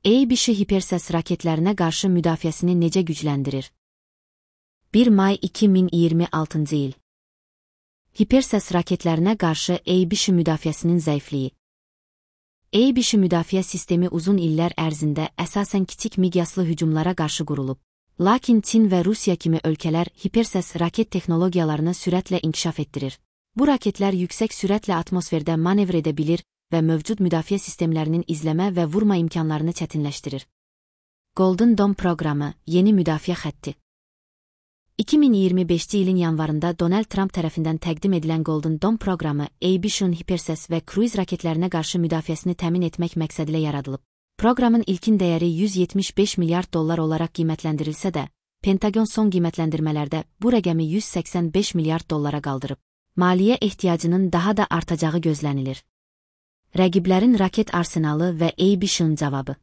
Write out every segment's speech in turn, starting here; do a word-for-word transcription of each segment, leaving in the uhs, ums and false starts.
Eybishi Hipersəs raketlərinə qarşı müdafiəsini necə gücləndirir? bir may iki min iyirmi altıncı il. Hipersəs raketlərinə qarşı Eybishi müdafiəsinin zəifliyi. Eybishi müdafiə sistemi uzun illər ərzində əsasən kiçik miqyaslı hücumlara qarşı qurulub. Lakin Çin və Rusiya kimi ölkələr hipersəs raket texnologiyalarını sürətlə inkişaf etdirir. Bu raketlər yüksək sürətlə atmosferdə manevr edə bilir və mövcud müdafiə sistemlərinin izləmə və vurma imkanlarını çətinləşdirir. Golden Dome proqramı, yeni müdafiə xətti. iki min iyirmi beşinci ilin yanvarında Donald Trump tərəfindən təqdim edilən Golden Dome proqramı Eybishun Hipersəs və Cruise raketlərinə qarşı müdafiəsini təmin etmək məqsədilə yaradılıb. Proqramın ilkin dəyəri yüz yetmiş beş milyard dollar olaraq qiymətləndirilsə də, Pentagon son qiymətləndirmələrdə bu rəqəmi yüz səksən beş milyard dollara qaldırıb. Maliyyə ehtiyacının daha da artacağı gözlənilir. Rəqiblərin raket arsenalı və Eybishun cavabı.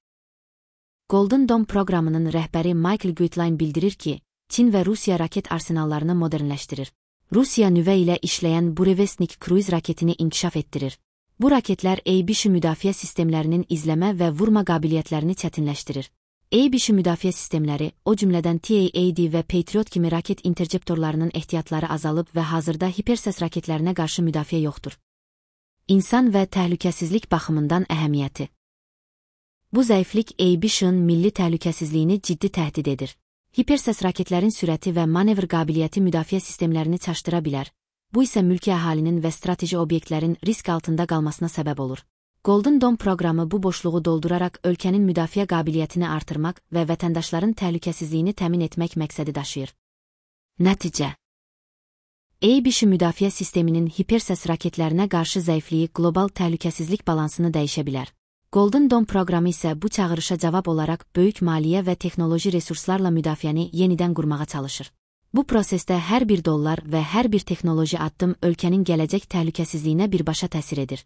Golden Dome proqramının rəhbəri Michael Gutlein bildirir ki, Çin və Rusiya raket arsenallarını modernləşdirir. Rusiya nüvə ilə işləyən Burevestnik Cruise raketini inkişaf etdirir. Bu raketlər Eybishi müdafiə sistemlərinin izləmə və vurma qabiliyyətlərini çətinləşdirir. Eybishi müdafiə sistemləri, o cümlədən T A A D və Patriot kimi raket interceptorlarının ehtiyatları azalıb və hazırda hipersəs raketlərinə qarşı müdafiə yoxdur. İnsan və təhlükəsizlik baxımından əhəmiyyəti. Bu zəiflik Eybishun milli təhlükəsizliyini ciddi təhdid edir. Hipersəs raketlərin sürəti və manevr qabiliyyəti müdafiə sistemlərini çaşdıra bilər. Bu isə mülki əhalinin və strateji obyektlərin risk altında qalmasına səbəb olur. Golden Dome proqramı bu boşluğu dolduraraq ölkənin müdafiə qabiliyyətini artırmaq və vətəndaşların təhlükəsizliyini təmin etmək məqsədi daşıyır. Nəticə. Eybishi müdafiə sisteminin hipersəs raketlərinə qarşı zəifliyi qlobal təhlükəsizlik balansını dəyişə bilər. Golden Dome proqramı isə bu çağırışa cavab olaraq böyük maliyyə və texnoloji resurslarla müdafiəni yenidən qurmağa çalışır. Bu prosesdə hər bir dollar və hər bir texnoloji addım ölkənin gələcək təhlükəsizliyinə birbaşa təsir edir.